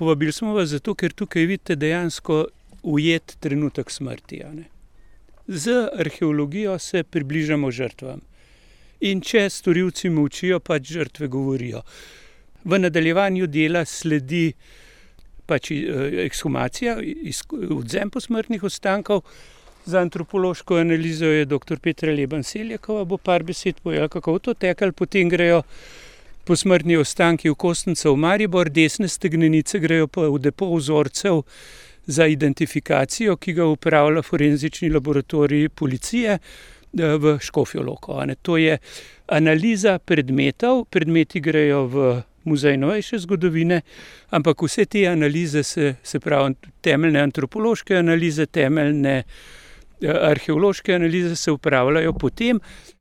povabili smo vas zato, ker tukaj vidite dejansko ujet trenutek smrti. Z arheologijo se približamo žrtvam. In če storilci molčijo, pač žrtve govorijo. V nadaljevanju dela sledi pač ekshumacija, odvzem posmrtnih ostankov. Za antropološko analizo je dr. Petra Leban-Seljakova, bo par besed povedala, kako to teklo, potem grejo posmrtni ostanki v Kostnico v Maribor, desne stegnenice grejo pa v depo vzorcev za identifikacijo, ki ga upravlja forenzični laboratorij policije v Škofjo Loko. To je analiza predmetov, predmeti grejo v Muzej novejše zgodovine, ampak vse te analize, se pravi temeljne antropološke analize, temeljne arheološke analize se upravljajo potem,